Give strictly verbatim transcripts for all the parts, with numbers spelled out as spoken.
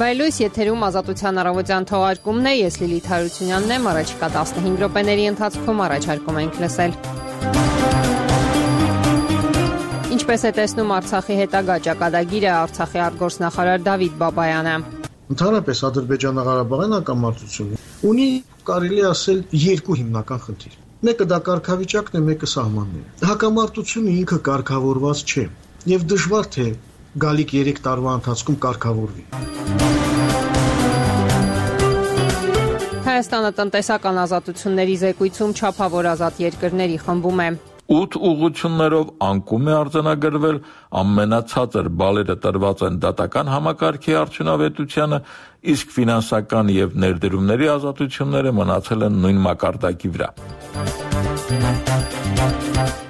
Վայելույս եթերում ազատության առավոտյան թողարկումն է, ես Լիլիթ Հարությունյանն եմ, առաջիկա տասնհինգ րոպեների ընթացքում առաջարկում ենք լսել։ Ինչպես է տեսնում Արցախի հետագա ճակատագիրը, Արցախի արտգործնախարար Դավիթ Բաբայանը։ Ընդհանրապես Ադրբեջանա-Ղարաբաղյան հակամարտությունը ունի, կարելի ասել, երկու հիմնական խնդիր։ Մեկը դա կարգավիճակն է, մեկը սահմանները։ Հակամարտությունը ինքը կարգավորված չէ, եւ դժվար թե գալիք երեք տարվա ընթացքում կարգավորվի։ Հայաստանը տնտեսական ազատությունների զեկույցում չափավոր ազատ երկրների խմբում է։ Ութ ուղղություններով անկում է արձանագրվել, ամենացածր բալերը տրված են դատական համակարգի արդյունավետությանը, իսկ ֆինանսական եւ ներդրումների ազատությունները մնացել են նույն մակարդակի վրա։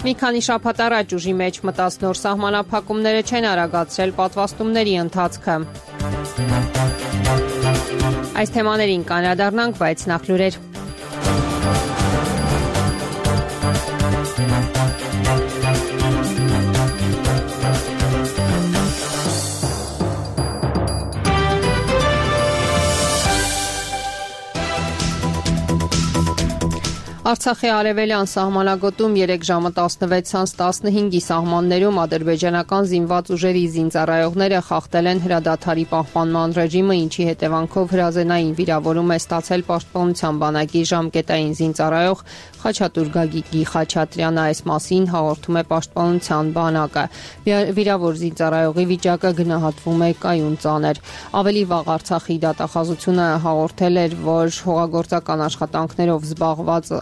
Մի քանի շաբաթ առաջ ուժի մեջ մտած նոր սահմանափակումները չեն արագացրել պատվաստումների ընթացքը։ Այս թեմաներին կանրադառնանք, բայց նախ լուրեր։ Արցախի արևելյան սահմանագոտում երեք ժամը տասնվեցից տասնհինգի սահմաններում ադրբեջանական զինված ուժերի զինծառայողները խախտել են հրադադարի պահպանման ռեժիմը, ինչի հետևանքով հրազենային վիրավորում է ստացել պաշտպանության բանակի ժամկետային զինծառայող Խաչատուր Գագիկի Խաչատրյանը, այս մասին հաղորդում է պաշտպանության բանակը։ Վիրավոր զինծառայողի վիճակը գնահատվում է կայուն ծանր։ Ավելի վաղ Արցախի դատախազությունը հաղորդել էր, որ հողագործական աշխատանքներով զբաղված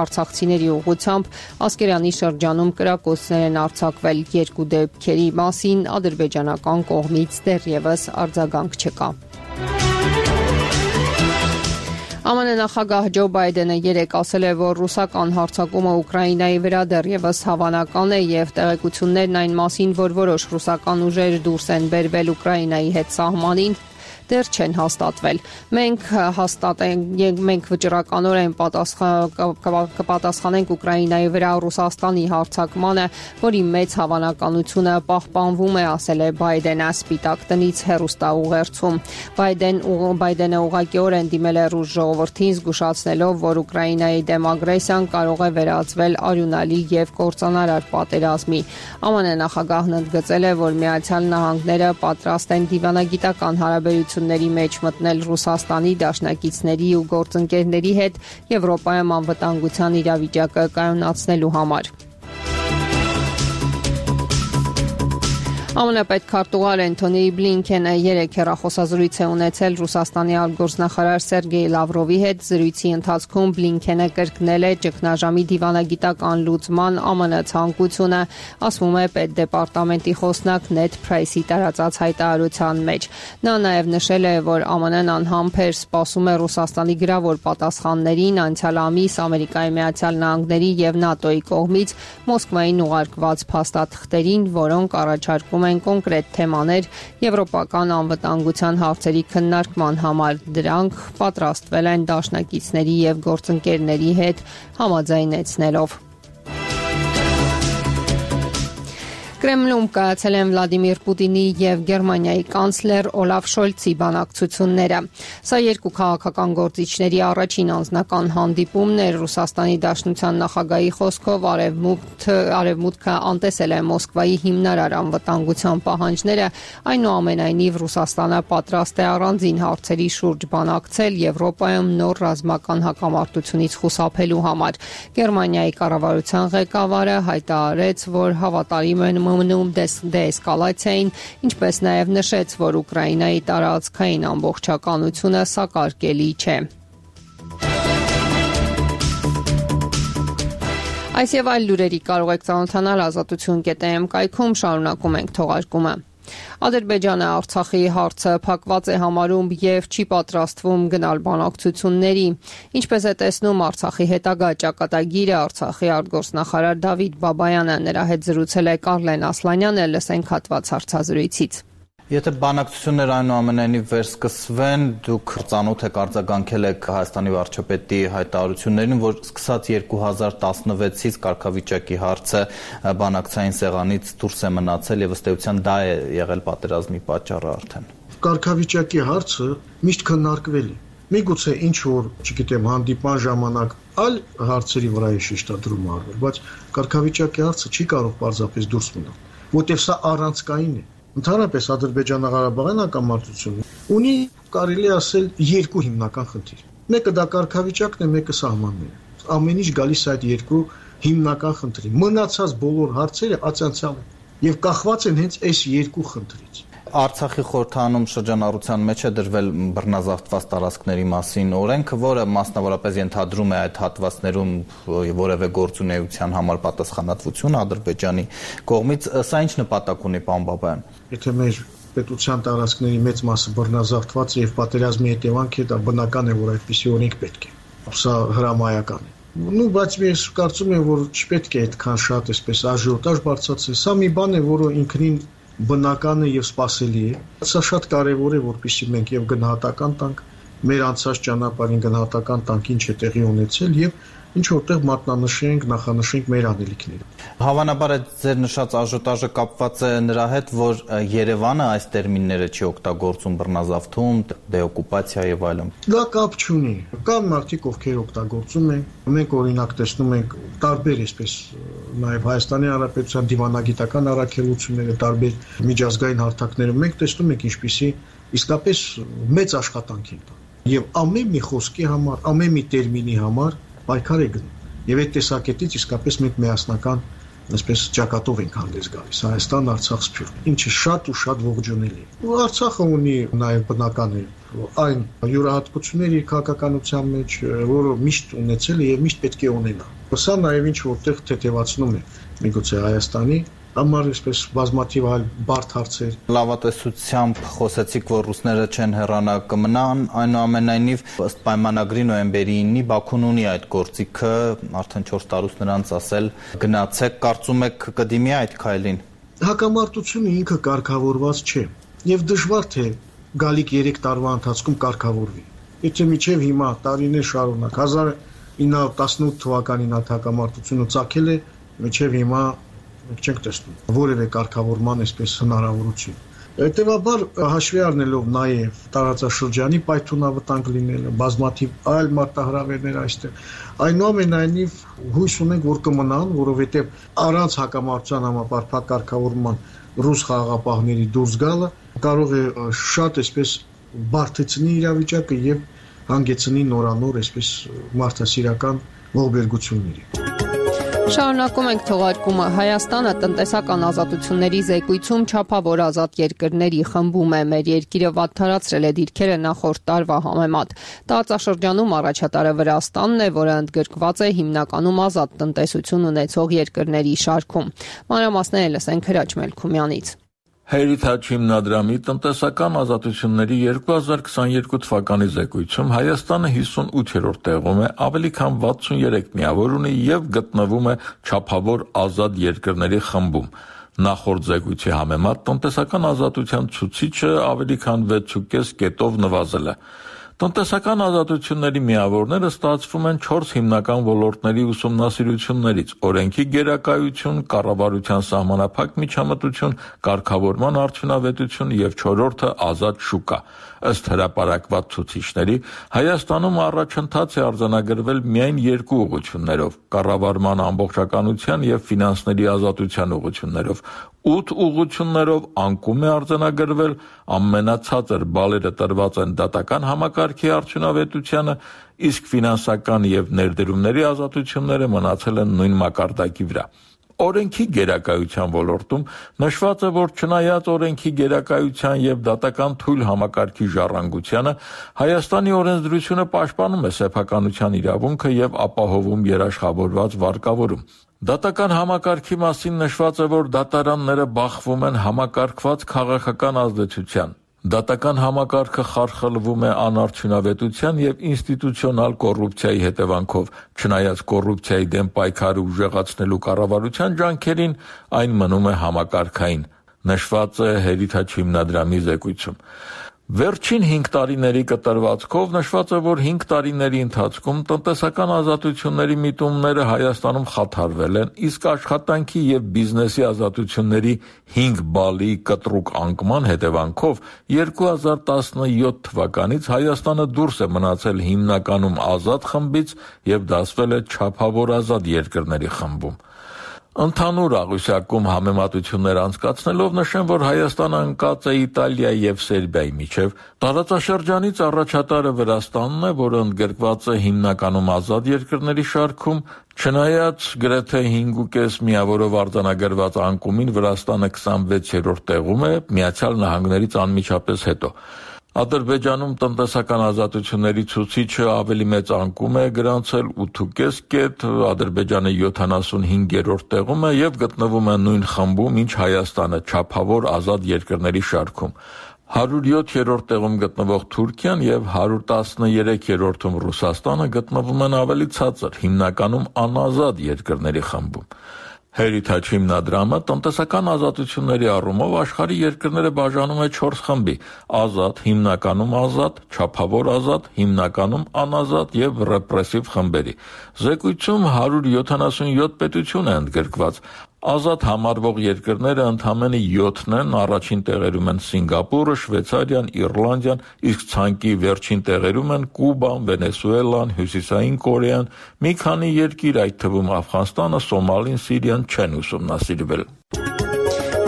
արցախցիների ուղղությամբ Ասկերանի շրջանում կրակոցներ են արձակվել։ Երկու դեպքերի մասին ադրբեջանական կողմից դեռևս արձագանք չկա։ ԱՄՆ նախագահ Ջո Բայդենը երեկ ասել է, որ ռուսական հարձակումը Ուկրաինայի վրա դեռևս հավանական է եւ տեղեկություններն այն մասին, որ որոշ ռուսական ուժեր դուրս են բերվել Ուկրաինայի հետ սահմանին, դեռ չեն հաստատվել։ Մենք հաստատենք, մենք վճռականորեն կպատասխանենք Ուկրաինայի վրա Ռուսաստանի հարձակմանը, որի մեծ հավանականությունը պահպանվում է, ասել է Բայդենը Սպիտակ տնից հեռուստաուղերձում։ Բայդեն Բայդենը ուղղակիորեն դիմել է ռուս ժողովրդին, զգուշացնելով, որ Ուկրաինայի դեմ ագրեսիան կարող է վերածվել արյունալի եւ կործանարար պատերազմի։ ԱՄՆ նախագահն ընդգծել է, որ Միացյալ Նահանգները պատրաստ են դիվանագիտական հարաբերություն ների մեջ մտնել Ռուսաստանի դաշնակիցների ու գործընկերների հետ Եվրոպայում անվտանգության իրավիճակը կայունացնելու համար։ ԱՄՆ պետքարտուղար Էնթոնի Բլինքենը երեկ հեռախոսազրույց է ունեցել Ռուսաստանի արտգործնախարար Սերգեյ Լավրովի հետ։ Զրույցի ընթացքում Բլինքենը կրկնել է ճգնաժամի դիվանագիտական լուծման ԱՄՆ ցանկությունը, ասվում է պետդեպարտամենտի խոսնակ Նեդ Փրայսի տարածած հայտարարության մեջ։ Նա նաև նշել է, որ ԱՄՆ-ն անհամբեր սպասում է Ռուսաստանի գրավոր պատասխաններին անցյալ ամիս Ամերիկայի Միացյալ Նահանգների եւ ՆԱՏՕ-ի կողմից Մոսկվային ուղարկված փաստաթղթերին, որոնք առաջարկում են կոնկրետ թեմաներ եվրոպական անվտանգության հարցերի քննարկման համար։ Դրանք պատրաստվել են դաշնակիցների եւ գործընկերների հետ համաձայնեցնելով։ Կրեմլում կայացել են Վլադիմիր Պուտինի եւ Գերմանիայի կանցլեր Օլաֆ Շոլցի բանակցությունները։ Սա երկու քաղաքական գործիչների առաջին անձնական հանդիպումն էր։ Ռուսաստանի Դաշնության նախագահի խոսքով արևմուտքը արևմուտքը անտեսել է Մոսկվայի հիմնարար անվտանգության պահանջները, այնուամենայնիվ Ռուսաստանը պատրաստ է առանձին հարցերի շուրջ բանակցել Եվրոպայում նոր ռազմական հակամարտությունից խուսափելու համար։ Գերմանիայի կառավարության ղեկավարը հայտարարեց, որ հավատարիմ են մնում դեսկալացիային, ինչպես նաև նշեց, որ Ուկրաինայի տարածքային ամբողջականությունը սակարկելի չէ։ Այս եւ այլ լուրերի կարող եք ծանոթանալ ազատություն կետ էմ կայքում, շարունակում ենք թողարկումը։ Ադրբեջանը Արցախի հարցը փակված է համարում եւ չի պատրաստվում գնալ բանակցությունների։ Ինչպես է տեսնում Արցախի հետագա ճակատագիրը, Արցախի արտգործնախարար Դավիթ Բաբայանը, նրա հետ զրուցել է Կարլեն Ասլանյանը, լսենք հատված հարցազրույցից։ Եթե բանակցություններ այնուամենայնիվ վերսկսվեն, դուք ծանոթ եք արձագանքել եք Հայաստանի վարչապետի հայտարարություններին, որ սկսած երկու հազար տասնվեցից կարգավիճակի հարցը բանակցային սեղանից դուրս է մնացել եւ ըստ էության դա է եղել պատերազմի պատճառը արդեն։ կարգավիճակի հարցը միշտ քննարկվել է։ Միգուցե ինչ որ, չգիտեմ, հանդիպան ժամանակ այլ հարցերի վրա է շեշտադրում արվել, բայց կարգավիճակի հարցը չի կարող պարզապես դուրս մնալ, որտեղ սա առանցքային է։ Ընդհանրապես Ադրբեջանա-Ղարաբաղյան հակամարտությունը ունի, կարելի ասել, երկու հիմնական խնդիր։ Մեկը դա կարգավիճակն է, մեկը սահմանները։ Ամեն ինչ գալիս է այդ երկու հիմնական խնդրի։ Մնացած բոլոր հարցերը ացանցյալ են եւ կախված են հենց այս երկու խնդրից։ Արցախի խորհրդանում շրջանառության մեջ է դրվել բռնազավթված տարածքների մասին օրենքը, որը մասնավորապես ենթադրում է այդ հատվածներում որևէ գործունեության համար պատասխանատվություն Ադրբեջանի կողմից։ Սա ինչ նպատակ ունի, պարոն Բաբայան։ Եթե մեր պետության տարածքների մեծ մասը բռնազավթված է եւ պատերազմի հետևանք է, դա բնական է, որ այդպիսի օրենք պետք է։ Սա հրամայական է։ Ну, բայց ես կարծում եմ, որ չպետք է այդքան շատ այսպես աժիոտաժ բարձրացնել։ Սա մի բան է, որը ինքնին բնական է եւ սպասելի է։ Սա շատ կարեւոր է, որպեսզի մենք եւ գնահատական տանք մեր անցած ճանապարհին, գնահատական տանք ինչ է տեղի ունեցել եւ ինչ որտեղ մատնանշենք, նախանշենք մեր անելիքները։ Հավանաբար այդ ձեր նշած աժոտաժը կապված է նրա հետ, որ Երևանը այս տերմինները չի օգտագործում բռնազավթում, դեօկուպացիա եւ այլն։ Դա կապ չունի։ Կան մարդիկ, ովքեր օգտագործում են։ Մենք օրինակ տեսնում ենք տարբեր այսպես նաեւ Հայաստանի Հանրապետության դիվանագիտական առաքելությունները, տարբեր միջազգային հարթակներում մենք տեսնում ենք ինչպիսի իսկապես մեծ աշխատանք են տանում։ Եվ ամեն մի խոսքի համար, ամեն մի տերմինի համար պայքար է գնում։ Եվ այդ տեսակետից իսկապես մենք միասնական այսպես ճակատով ենք հանդես գալիս Հայաստան, Արցախ, Սփյուռք, ինչը շատ ու շատ ողջունելի է։ Ու Արցախը ունի նաև բնական է այն յուրահատկությունների քաղաքականության մեջ, որը միշտ ունեցել է եւ միշտ պետք է ունենա։ Սա նաև ինչ որտեղ թեթևացնում է միգուցե Հայաստանի համար այսպես բազմաթիվ այլ բարդ հարցեր։ Լավատեսությամբ խոսեցիք, որ ռուսները չեն հեռանա կմնան, այնուամենայնիվ ըստ պայմանագրի նոյեմբերի ինը Բաքուն ունի այդ գործիքը, արդեն չորս տարուց նրանց ասել գնացեք, կարծում եք կդիմի այդ քայլին։ Հակամարտությունը ինքը կարգավորված չէ եւ դժվար թե գալիք երեք տարվա ընթացքում կարգավորվի։ Եթե միջև հիմա տարիներ շարունակ հազար ինը հարյուր տասնութ թվականին այդ հակամարտությունը ծագել է, միջև հիմա մենք չենք տեսնում որևէ կարգավորման այսպես հնարավորություն։ Հետևաբար հաշվի առնելով նաև տարածաշրջանի պայթունավտանգ լինելը, բազմաթիվ այլ մարտահրավերներ այստեղ, այնուամենայնիվ հույս ունենք, որ կմնան, որովհետև առանց հակամարտության համապարփակ կարգավորման ռուս խաղաղապահների դուրս գալը կարող է շատ այսպես բարդացնի իրավիճակը եւ հանգեցնի նորանոր այսպես մարդասիրական ողբերգությունների։ Շարունակում ենք թողարկումը։ Հայաստանը տնտեսական ազատությունների զեկույցում չափավոր ազատ երկրների խմբում է։ Մեր երկիրը վատթարացրել է դիրքերը նախորդ տարվա համեմատ։ Տարածաշրջանում առաջատարը Վրաստանն է, որը ընդգրկված է հիմնականում ազատ տնտեսություն ունեցող երկրների շարքում։ Մանրամասները լսենք Հրաչ Մելքումյանից։ Heritage հիմնադրամի տնտեսական ազատությունների երկու հազար քսաներկու թվականի զեկույցում Հայաստանը հիսունութերորդ տեղում է, ավելի քան վաթսուներեք միավոր ունի եւ գտնվում է չափավոր ազատ երկրների խմբում։ Նախորդ զեկույցի համեմատ տնտեսական ազատության ցուցիչը ավելի քան վեց ու կես կետով նվազել է։ Տնտեսական ազատությունների միավորները ստացվում են չորս հիմնական ոլորտների ուսումնասիրություններից՝ օրենքի գերակայություն, կառավարության սահմանափակ միջամտություն, կարգավորման արդյունավետություն եւ չորրորդը ազատ շուկա։ Ըստ հրապարակված ցուցիչների, Հայաստանում առաջընթաց է արձանագրվել միայն երկու ուղղություններով՝ կառավարման ամբողջականության եւ ֆինանսների ազատության ուղղություններով։ ութ ուղղություններով անկում է արձանագրվել, ամենացածր բալերը տրված են դատական համակարգի արդյունավետությանը, իսկ ֆինանսական եւ ներդրումների ազատությունները մնացել են նույն մակարդակի վրա։ Օրենքի գերակայության ոլորտում նշված է, որ չնայած օրենքի գերակայության եւ դատական թույլ համակարգի ժառանգությանը, Հայաստանի օրենսդրությունը պաշտպանում է սեփականության իրավունքը եւ ապահովում երաշխավորված վարկավորում։ Դատական համակարգի մասին նշված է, որ դատարանները բախվում են համակարգված քաղաքական ազդեցության։ Դատական համակարգը խարխլվում է անարդյունավետության եւ ինստիտուցիոնալ կոռուպցիայի հետևանքով, չնայած կոռուպցիայի դեմ պայքարը ուժեղացնելու կառավարության ջանքերին, այն մնում է համակարգային, նշված է Heritage հիմնադրամի զեկույցում։ Վերջին հինգ տարիների կտրվածքով նշված է, որ հինգ տարիների ընթացքում տնտեսական ազատությունների միտումները Հայաստանում խաթարվել են, իսկ աշխատանքի եւ բիզնեսի ազատությունների հինգ բալի կտրուկ անկման հետևանքով երկու հազար տասնյոթ թվականից Հայաստանը դուրս է մնացել հիմնականում ազատ խմբից եւ դասվել է չափավոր ազատ երկրների խմբում։ Ընդհանուր աղյուսակում համեմատություններ անցկացնելով նշեմ, որ Հայաստանը ընկած է Իտալիայի եւ Սերբիայի միջև, տարածաշրջանից առաջատարը Վրաստանն է, որը ընդգրկված է հիմնականում ազատ երկրների շարքում, չնայած գրեթե հինգ ու կես միավորով արձանագրված անկումին Վրաստանը քսանվեցերորդ տեղում է, Միացյալ Նահանգներից անմիջապես հետո։ Ադրբեջանում տնտեսական ազատությունների ցուցիչը ավելի մեծ անկում է գրանցել ութ ու կես կետ, Ադրբեջանը յոթանասունհինգերորդ տեղում է եւ գտնվում է նույն խմբում, ինչ Հայաստանը, չափավոր ազատ երկրների շարքում։ հարյուր յոթերորդ տեղում գտնվող Թուրքիան եւ հարյուր տասներեքերորդում Ռուսաստանը գտնվում են ավելի ցածր, հիմնականում անազատ երկրների խմբում։ Heritage հիմնադրամը տնտեսական ազատությունների առումով աշխարհի երկրները բաժանում է չորս խմբի՝ ազատ, հիմնականում ազատ, չափավոր ազատ, հիմնականում անազատ եւ ռեպրեսիվ խմբերի։ Զեկույցում հարյուր յոթանասունյոթ պետություն է ընդգրկված։ Ազատ համարվող երկրները ընդամենը յոթն են, առաջին տեղերում են Սինգապուրը, Շվեյցարիան, Իռլանդիան, իսկ ցանկի վերջին տեղերում են Կուբան, Վենեսուելան, Հյուսիսային Կորեան, մի քանի երկիր, այդ թվում Աֆղանստանը, Սոմալին, Սիրիան չեն ուսումնասիրվել։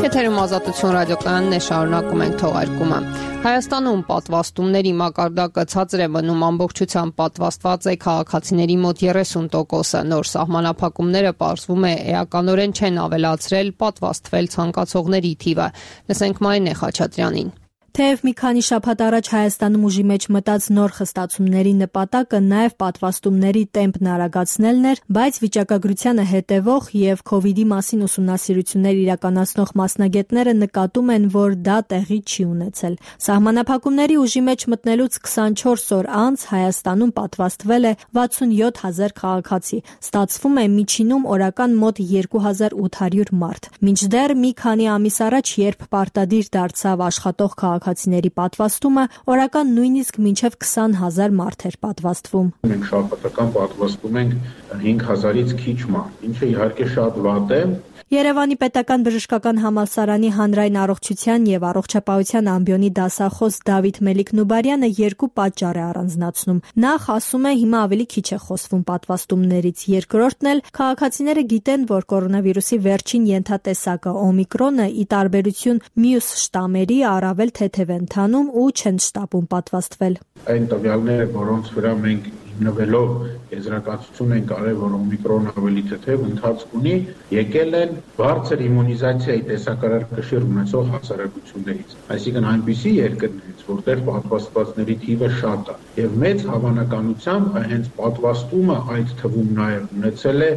Եթերում Ազատություն ռադիոկայանն է, շարունակում ենք թողարկումը։ Հայաստանում պատվաստումների մակարդակը ցածր է մնում, ամբողջությամբ պատվաստված է քաղաքացիների մոտ երեսուն տոկոսը։ Նոր սահմանափակումները պարզվում է էականորեն չեն ավելացրել պատվաստվել ցանկացողների թիվը։ Լսենք Մարինե Խաչատրյանին։ Թեև մի քանի շաբաթ առաջ Հայաստանում ուժի մեջ մտած նոր խստացումների նպատակը նաև պատվաստումների տեմպն արագացնելն էր, բայց վիճակագրությանը հետևող եւ քովիդի մասին ուսումնասիրություններ իրականացնող մասնագետները նկատում են, որ դա տեղի չի ունեցել։ Սահմանափակումների ուժի մեջ մտնելուց քսանչորս օր անց Հայաստանում պատվաստվել է վաթսունյոթ հազար քաղաքացի։ Ստացվում է միջինում օրական մոտ երկու հազար ութ հարյուր մարդ։ Մինչդեռ մի քանի ամիս առաջ, երբ պարտադիր դարձավ աշխատող քաղաքացիների պատվաստումը, օրական նույնիսկ մինչև քսան հազար մարդ էր պատվաստվում։ Մենք շաբաթական պատվաստում ենք հինգ հազարից քիչ մարդ, ինչը իհարկե շատ վատ է։ Երևանի պետական բժշկական համալսարանի հանրային առողջության եւ առողջապահության ամբիոնի դասախոս Դավիթ Մելիք-Նուբարյանը երկու պատճառ է առանձնացնում։ Նախ ասում է, հիմա ավելի քիչ է խոսվում պատվաստումներից, երկրորդն էլ քաղաքացիները գիտեն, որ կորոնավիրուսի վերջին ենթատեսակը օմիկրոնը ի տարբերություն մյուս շտամերի առավել թեթև է ընթանում ու չեն շտապում պատվաստվել։ Այն տվյալները, որոնց վրա մենք հիմնվելով եզրակացություն են կարել, որ օմիկրոնը ավելի թեթև ընթացք ունի, եկել են բարձր իմունիզացիայի տեսակարար կշիռ ունեցող հասարակություններից, այսինքն այնպիսի երկրներից, որտեղ պատվաստվածների թիվը շատ է, եւ մեծ հավանականությամբ հենց պատվաստումը այդ թվում նաեւ ունեցել է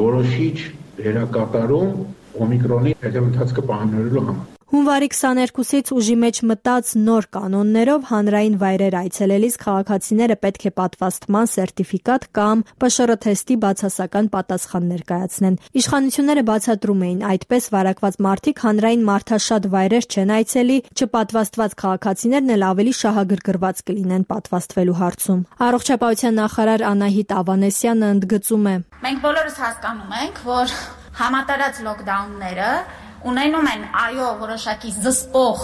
որոշիչ դերակատարում օմիկրոնի թեթև ընթացքը պահանջելու համար։ Հունվարի քսաներկուսից ուժի մեջ մտած նոր կանոններով հանրային վայրեր այցելելիս քաղաքացիները պետք է պատվաստման սերտիֆիկատ կամ Պ Շ R թեստի բացասական պատասխան ներկայացնեն։ Իշխանությունները բացատրում էին, այդպես վարակված մարդիկ հանրային մարդաշատ վայրեր չեն այցելի, չպատվաստված քաղաքացիներն էլ ավելի շահագրգռված կլինեն պատվաստվելու հարցում։ Առողջապահության նախարար Անահիտ Ավանեսյանը ընդգծում է. Մենք բոլորս հասկանում ենք, որ համատարած լոկդաունները ունենում են այո որոշակի զսպող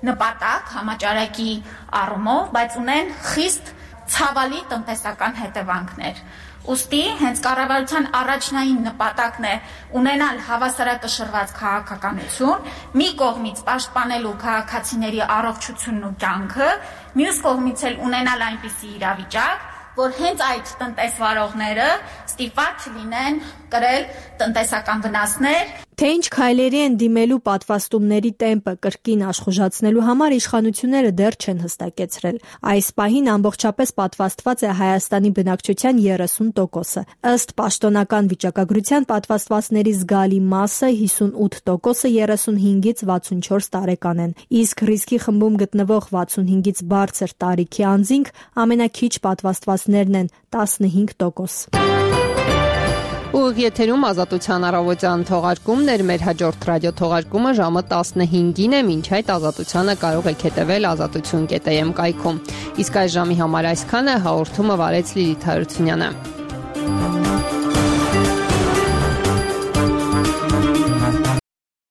նպատակ համաճարակի առումով, բայց ունեն խիստ ցավալի տնտեսական հետևանքներ։ Ուստի հենց կառավարության առաջնային նպատակն է ունենալ հավասարակշռված քաղաքականություն, մի կողմից պաշտպանելու քաղաքացիների առողջությունն ու կյանքը, մյուս կողմից էլ ունենալ այնպիսի իրավիճակ, որ հենց այդ տնտեսվարողները ստիպված չլինեն կրել տնտեսական վնասներ։ Թե ինչ քայլերի են դիմելու պատվաստումների տեմպը կրկին աշխուժացնելու համար իշխանությունները դեռ չեն հստակեցրել։ Այս պահին ամբողջապես պատվաստված է Հայաստանի բնակչության երեսուն տոկոսը։ Ըստ պաշտոնական վիճակագրության պատվաստվածների զգալի մասը հիսունութ տոկոսը երեսունհինգից վաթսունչորս տարեկան են, իսկ ռիսկի խմբում գտնվող վաթսունհինգից բարձր տարիքի անձինք ամենաքիչ պատվաստվածներն են տասնհինգ տոկոս։ Ուղիղ եթերում Ազատության առավոտյան թողարկումն էր, մեր հաջորդ ռադիո թողարկումը ժամը տասնհինգին է, մինչ այդ Ազատությանը կարող եք հետևել ազատություն կետ am կայքում։ Իսկ այս ժամի համար այսքանը, հաղորդումը վարեց Լիլիթ Հարությունյանը։